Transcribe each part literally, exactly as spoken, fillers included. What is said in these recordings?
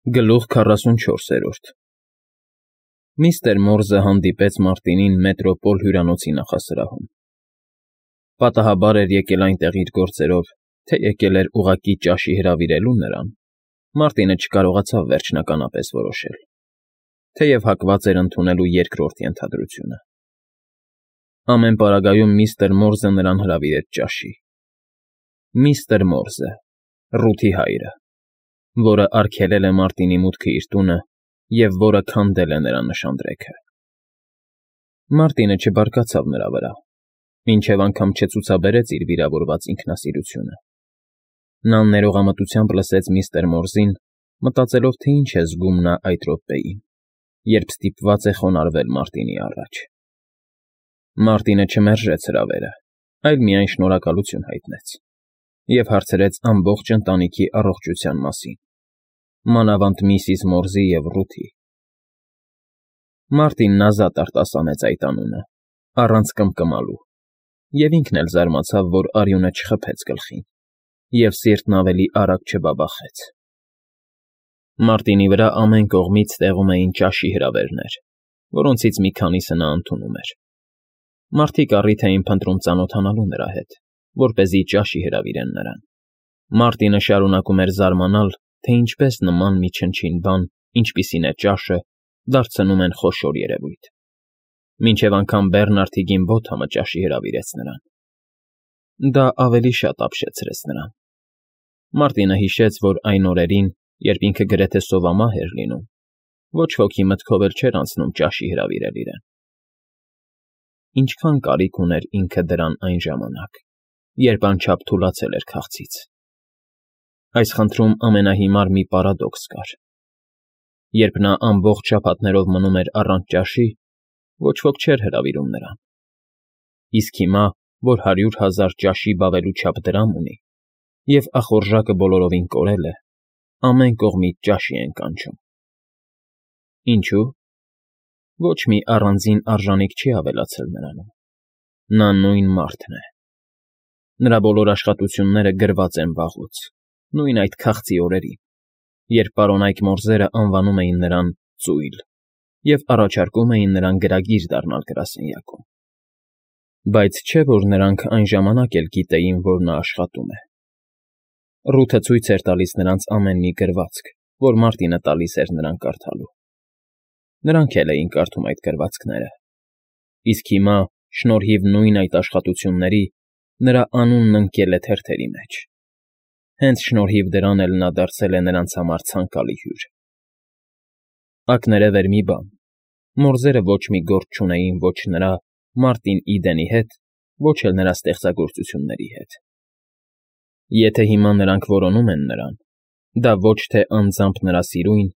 Գլուխ քառասունչորսերորդ Միստր Մորզը հանդիպեց Մարտինին Մետրոպոլ հյուրանոցի նախասրահում։ Պատահաբար էր եկել այնտեղ իր գործերով, թե եկել էր ուղղակի ճաշի հրավիրելու նրան, Մարտինը չկարողացավ վերջնականապես որոշել, թեև հակված էր ընդունելու երկրորդ ենթադրությունը։ Ամեն պարագայում միստր Մորզը նրան հրավիրեց ճաշի։ Միստր Մորզը, Ռութի հայրը, որը արգելել է Մարտինի մուտքը իր տունը և որը քանդել է նրա նշանдрեքը։ Մարտինը չբարկացավ նրա վրա, մինչև անգամ չցուցաբերեց իր վիրավորված ինքնասիրությունը։ Նա ներողամտությամբ լսեց միստր Մորզին, մտածելով, թե ինչ է զգում նա այդ րոպեին, երբ ստիպված է խոնարհվել Մարտինի առաջ։ Մարտինը չմերժեց հրավերը, այլ միայն շնորհակալություն հայտնեց և հարցրեց ամբողջ ընտանիքի առողջության մասին, մանավանդ միսիս Մորզի և Ռութի։ Մարտինն ազատ արտասանեց այդ անունը, առանց կմկմալու, և ինքն էլ զարմացավ, որ արյունը չխփեց գլխին, և սիրտն ավելի արագ չբաբախեց։ Մարտինի վրա ամեն կողմից տեղում էին ճաշի հրավերներ, որոնցից մի քանիսը նա ընդունում էր։ Մարդիկ առիթ էին փնտրում ծանոթանալու նրա հետ, որպեսզի ճաշի հրավիրեն նրան։ Մարտինը շարունակում էր զարմանալ, թե ինչպես նման մի չնչին բան, ինչպիսին է ճաշը, դարձնում են խոշոր երևույթ, մինչև անգամ Բեռնարդի Գիմբոթամը ճաշի հրավիրեց նրան։ Դա ավելի շատ ապշեցրեց նրան։ Մարտինը հիշեց, որ այն օրերին, երբ ինքը գրեթե սովամահ էր լինում, ոչ ոքի մտքով էլ չէր անցնում ճաշի հրավիրել իրեն։ Ինչքան կարիք ուներ ինքը դրան այն ժամանակ, երբ անչափ թուլացել էր քաղցից։ Այս խնդրում ամենահիմար մի պարադոքս կար։ Երբ նա ամբողջ շաբաթներով մնում էր առանց ճաշի, ոչ ոք չէր հրավիրում նրան։ Իսկ հիմա, որ հարյուր հազար ճաշի բավելու չափ դրամ ունի, և ախորժակը բոլորովին կորել է, ամեն կողմից ճաշի են կանչում։ Ինչո՞ւ։ Ոչ մի առանձին արժանիք չի ավելացել նրանում։ Նա նույն մարդն է։ Նրա բոլոր աշխատությունները գրված են վաղուց, նույն այդ քաղցի օրերին, երբ պարոնայք Մորզերը անվանում էին նրան ծույլ և առաջարկում էին նրան գրագիր դառնալ գրասենյակում։ Բայց չէ՞ որ նրանք այն ժամանակ էլ գիտեին, որ նա աշխատում է։ Ռութը ցույց էր տալիս նրանց ամեն մի գրվածք, որ Մարտինը տալիս էր նրան կարդալու։ Նրանք էլ էին կարդում այդ գրվածքները։ Իսկ հիմա, շնորհիվ նույն այդ աշխատությունների, նրա անունն ընկել է թերթերի մեջ։ Հենց շնորհիվ դրան էլ նա դարձել է նրանց համար ցանկալի հյուր։ Ակներև էր մի բան. Մորզերը ոչ մի գործ չունեին ոչ նրա, Մարտին Իդենի հետ, ոչ էլ նրա ստեղծագործությունների հետ։ Եթե հիմա նրանք որոնում են նրան, դա ոչ թե անձամբ նրա սիրույն,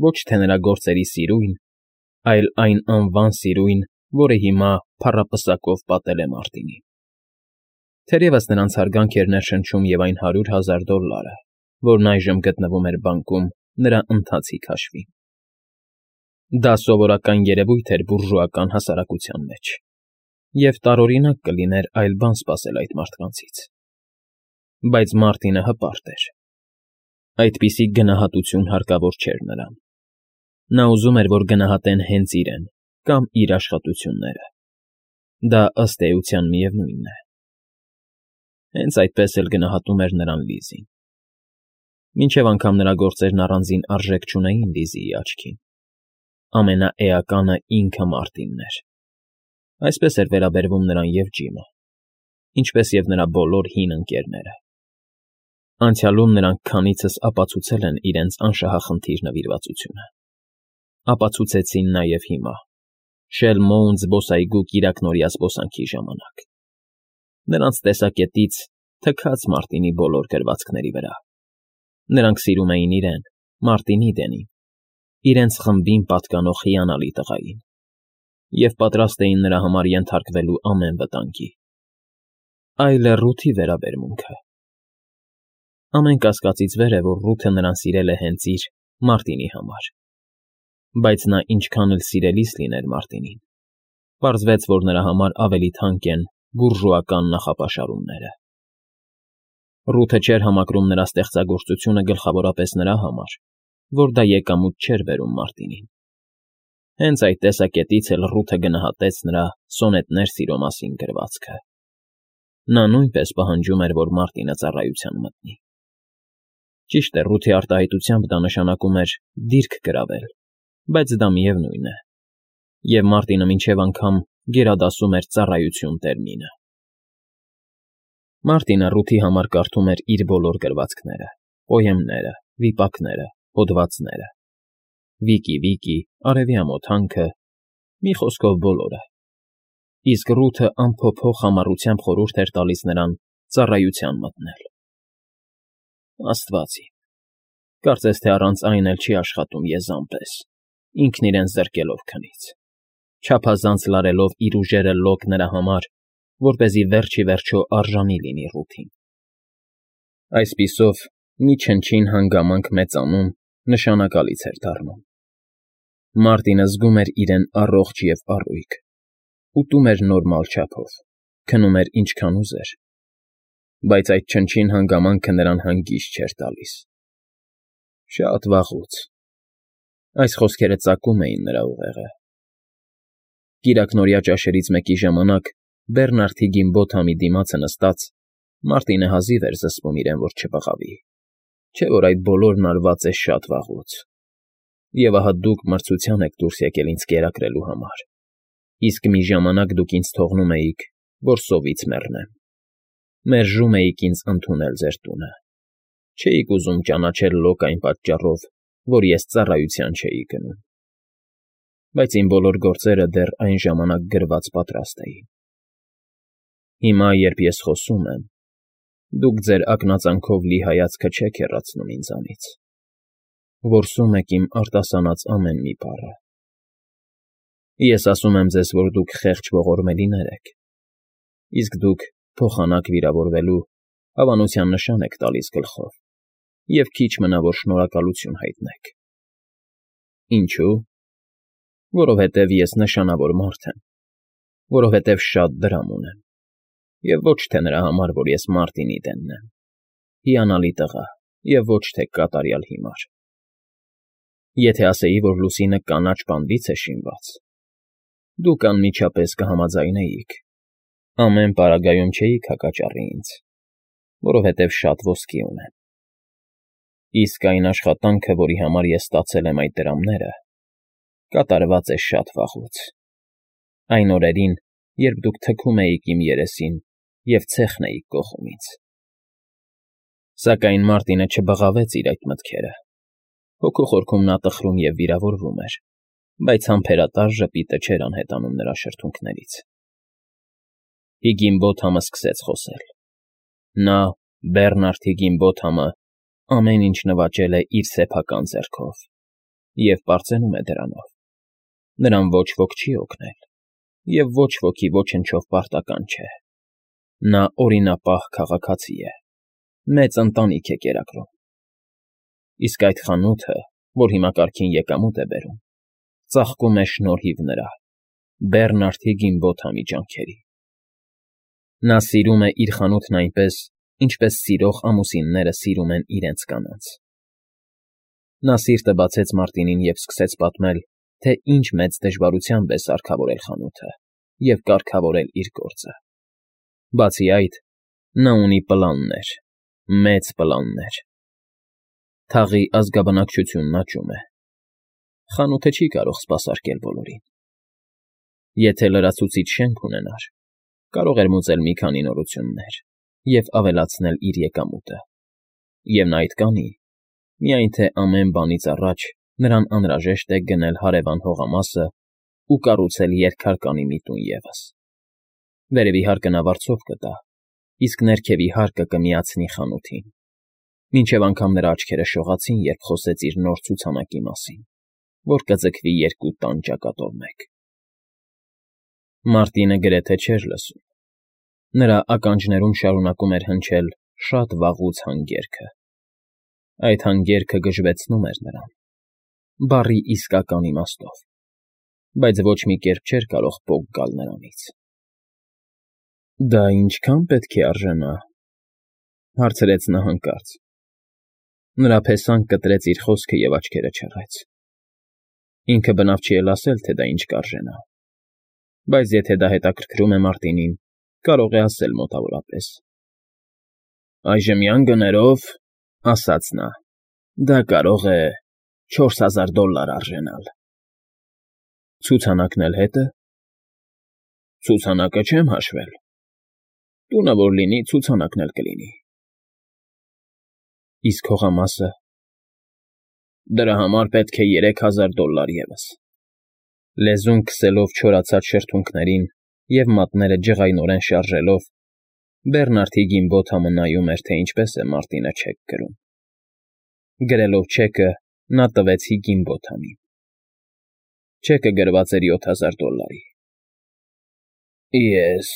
ոչ թե նրա գործերի սիրույն, այլ այն անվան սիրույն, որը հիմա փառապսակով պատել է Մարտինին։ Թերևս նրանց հարգանք էր ներշնչում և այն հարյուր հազար դոլլարը, որն այժմ գտնվում էր բանկում նրա ընթացիկ հաշվին։ Դա սովորական երևույթ էր բուրժուական հասարակության մեջ, և տարօրինակ կլիներ այլ բան սպասել այդ մարդկանցից։ Բայց Մարտինը հպարտ էր։ Այդպիսի գնահատություն հարկավոր չէր նրան։ Նա ուզում էր, որ գնահատեն հենց իրեն կամ իր աշխատությունները։ Դա ըստ էության միևնույն է։ Հենց այդպես էլ գնահատում էր նրան Լիզին։ Մինչև անգամ նրա գործերն առանձին արժեք չունեին Լիզիի աչքին։ Ամենաէականը ինքը Մարտինն էր։ Այսպես էր վերաբերվում նրան և Ջիմը, ինչպես և նրա բոլոր հին ընկերները։ Անցյալում նրանք քանիցս ապացուցել են իրենց անշահախնդիր նվիրվածությունը։ Ապացուցեցին նաև հիմա, Շելմոուն զբոսայգու կիրակնօրյա զբոսանքի ժամանակ։ Նրանց տեսակետից թքած Մարտինի բոլոր գրվածքների վրա։ Նրանք սիրում էին իրեն, Մարտին Իդենին, իրենց խմբին պատկանող հիանալի տղային, և պատրաստ էին նրա համար ենթարկվելու ամեն վտանգի։ Այլ է Ռութի վերաբերմունքը։ Ամեն կասկածից վեր է, որ Ռութը նրան սիրել է հենց իր՝ Մարտինի համար։ Բայց նա ինչքան էլ սիրելիս լիներ Մարտինին, պարզվեց, որ նրա համար ավելի թանկ են բուրժուական նախապաշարումները։ Ռութը չէր համակրում նրա ստեղծագործությունը գլխավորապես նրա համար, որ դա եկամուտ չէր բերում Մարտինին։ Հենց այդ տեսակետից էլ Ռութը գնահատեց նրա սոնետներ սիրո մասին գրվածքը։ Նա նույնպես պահանջում էր, որ Մարտինը ծառայության մտնի։ Ճիշտ է, Ռութի արտահայտությամբ դա նշանակում էր դիրք գրավել, բայց դա միևնույն է, և Մարտինը մինչև անգամ գերադասում էր ծառայություն տերմինը։ Մարտինը Ռութի համար կարդում էր իր բոլոր գրվածքները, պոեմները, վիպակները, հոդվածները, Վիկի֊Վիկի, Արևի ամոթանքը, մի խոսքով բոլորը, իսկ Ռութը անփոփոխ համառությամբ խորհուրդ էր տալիս նրան ծառայության մտնել։ Աստված իմ, կարծես թե առանց այն էլ չի աշխատում եզան պես, ինքն իրեն զրկելով քնից, չափազանց լարելով իր ուժերը լոկ նրա համար, որպեսզի վերջ ի վերջո արժանի լինի Ռութին։ Այսպիսով, մի չնչին հանգամանք մեծանում, նշանակալից էր դառնում։ Մարտինը զգում էր իրեն առողջ և առույգ, ուտում էր նորմալ չափով, քնում էր ինչքան ուզեր, բայց այդ չնչին հանգամանքը նրան հանգիստ չէր տալիս։ Շատ վաղուց… Այս խոսքերը ծակում էին նրա ուղեղը։ Կիրակնօրյա ճաշերից մեկի ժամանակ, Բեռնարդ Հիգինբոթամի դիմացը նստած, Մարտինը հազիվ էր զսպում իրեն, որ չբղավի, չէ՞ որ այդ բոլորն արված է շատ վաղուց, և ահա դուք մրցության եք դուրս եկել ինձ կերակրելու համար, իսկ մի ժամանակ դուք ինձ թողնում էիք, որ սովից մեռնեմ, մերժում էիք ինձ ընդունել ձեր տունը, չէիք ուզում ճանաչել լոկ այն պատճառով, որ ես ծառայության չէի գնում, բայց իմ բոլոր գործերը դեռ այն ժամանակ գրված պատրաստ էին։ Հիմա, երբ ես խոսում եմ, դուք ձեր ակնածանքով լի հայացքը չեք հեռացնում ինձանից, որսում եք իմ արտասանած ամեն մի բառը։ Ես ասում եմ ձեզ, որ դուք խեղճ ողորմելիներ եք, իսկ դուք, փոխանակ վիրավորվելու, հավանության նշան եք տալիս գլխով, և քիչ մնա, որ շնորհակալություն հայտնեք։ Ինչո՞ւ։ Որովհետև ես նշանավոր մարդ եմ, որովհետև շատ դրամ ունեմ, և ոչ թե նրա համար, որ ես Մարտինի դենն եմ, հիանալի տղա, և ոչ թե կատարյալ հիմար։ Եթե ասեի, որ Լուսինը կանաչ բանվից է շինված, դուք անմիջապես կհամաձայնեիք, ամեն պարագայում չէիք հակաճառի ինձ, որովհետև շատ ոսկի ունեմ։ Իսկ այն աշխատանքը, որի համար ես ստացել եմ այդ դրամները, կատարված է շատ վաղուց, այն օրերին, երբ դուք թքում էիք իմ երեսին և ցեխն էիք կոխում ինձ։ Սակայն Մարտինը չբղավեց իր այդ մտքերը, հոգու խորքում նա տխրում և վիրավորվում էր, բայց համբերատար ժպիտը չէր անհետանում նրա շրթունքներից։ Հիգինբոթամը սկսեց խոսել։ Նա, Բեռնարդ Հիգինբոթամը, ամեն ինչ նվաճել է իր սեփական ձեռքով և պարծենում է դրանով։ Նրան ոչ ոք չի օգնել, և ոչ ոքի ոչնչով պարտական չէ։ Նա օրինապահ քաղաքացի է, մեծ ընտանիք է կերակրում։ Իսկ այդ խանութը, որ հիմա կարգին եկամուտ է բերում, ծաղկում է շնորհիվ նրա՝ Բեռնարդ Հիգինբոթամի ջանքերի։ Նա սիրում է իր խանութն այնպես, ինչպես սիրող ամուսինները սիրում են իրենց կանանց։ Նա սիրտը բացեց Մարտինին և սկսեց պատմել, թե ինչ մեծ դժվարությամբ է սարքավորել խանութը և կարգավորել իր գործը։ Բացի այդ, նա ունի պլաններ, մեծ պլաններ։ Թաղի ազգաբնակչությունն աճում է։ Խանութը չի կարող սպասարկել բոլորին։ Եթե լրացուցիչ շենք ունենար, կարող էր մուծել մի քանի նորություններ և ավելացնել իր եկամուտը, և նա այդ կանի, միայն թե ամեն բանից առաջ նրան անհրաժեշտ է գնել հարևան հողամասը ու կառուցել երկհարկանի մի տուն ևս։ Վերևի հարկը նա վարձով կտա, իսկ ներքևի հարկը կմիացնի խանութին, մինչև անգամ նրա աչքերը շողացին, երբ խոսեց իր նոր ցուցանակի մասին, որ կձգվի երկու տան ճակատով մեկ։ Մարտինը գրեթե չէր լսում։ Նրա ականջներում շարունակում էր հնչել շատ վաղուց հանգերգը։ Այդ հանգերգը գժվեցնում էր նրան, բառի իսկական իմաստով, բայց ոչ մի կերպ չէր կարող պոկ գալ նրանից։ Դա ինչքա՞ն պետք է արժենա,֊ հարցրեց նա հանկարծ։ Նրա փեսան կտրեց իր խոսքը և աչքերը չռեց։ Ինքը բնավ չի էլ ասել, թե դա ինչ կարժենա, բայց եթե դա հետաքրքրում է Մարտինին, կարող է ասել մոտավորապես։ «Այժմյան գներով, ֊ ասաց նա, ֊ դա կարող է չորս հազար դոլլար արժենալ»։ Ցուցանակն էլ հետը։ ֊ Ցուցանակը չեմ հաշվել, տունը որ լինի, ցուցանակն էլ կլինի։ ֊ Իսկ հողամա՞սը։ ֊ Դրա համար պետք է երեք հազար դոլլար ևս։ Լեզուն քսելով չորացած շրթունքներին և մատները ջղայնորեն շարժելով, Բերնարդ Հիգինբոթամը նայում էր, թե ինչպես է Մարտինը չեք կրում։ Գրելով չեկը՝ նա տվեց Հիգինբոթամին։ Չեկը գրված էր յոթ հազար դոլլարի։ ֊ Ես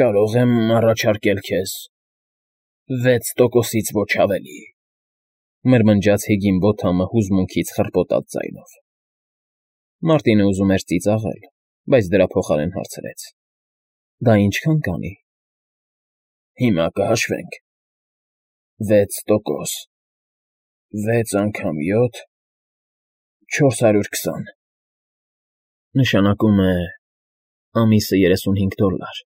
կարող եմ առաջարկել քեզ վեց տոկոսից ոչ ավելի, ֊ մրմնջաց Հիգինբոթամը հուզմունքից խռպոտած ձայնով։ Մարտինը ուզում էր ծիծաղել, բայց դրա փոխարեն հարցրեց. ֊ Դա ինչքան կանի։ ֊ Հիմա կհաշվենք. վեց տոկոս, վեց անգամ յոթ, չորս հարյուր քսան, նշանակում է ամիսը երեսունհինգ դոլլար։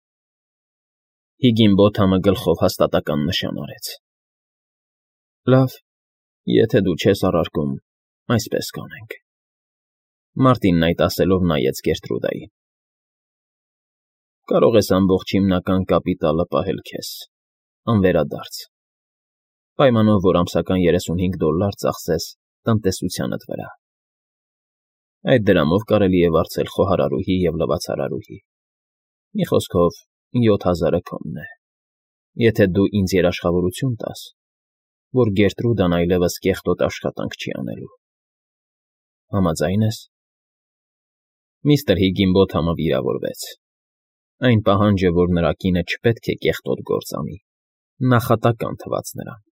Հիգինբոթամը գլխով հաստատական նշան արեց։ ֊ Լավ, եթե դու չես առարկում, այսպես կանենք։ Մարտինն այդ ասելով նայեց Գերտրուդային։ ֊ Կարող ես ամբողջ հիմնական կապիտալը պահել քեզ, անվերադարձ, պայմանով, որ ամսական երեսունհինգ դոլլար ծախսես տնտեսությանդ վրա։ Այդ դրամով կարելի է վարձել խոհարարուհի և լվացարարուհի։ Մի խոսքով, յոթ հազարը քոնն է, եթե դու ինձ երաշխավորություն տաս, որ Գերտրուդան այլևս կեղտոտ աշխատանք չի անելու։ Համաձա՞յն ես։ Միստր Հիգինբոթամը վիրավորվեց։ Այն պահանջը, որ նրա կինը չպետք է կեղտոտ գործ անի, նախատական թվաց նրան։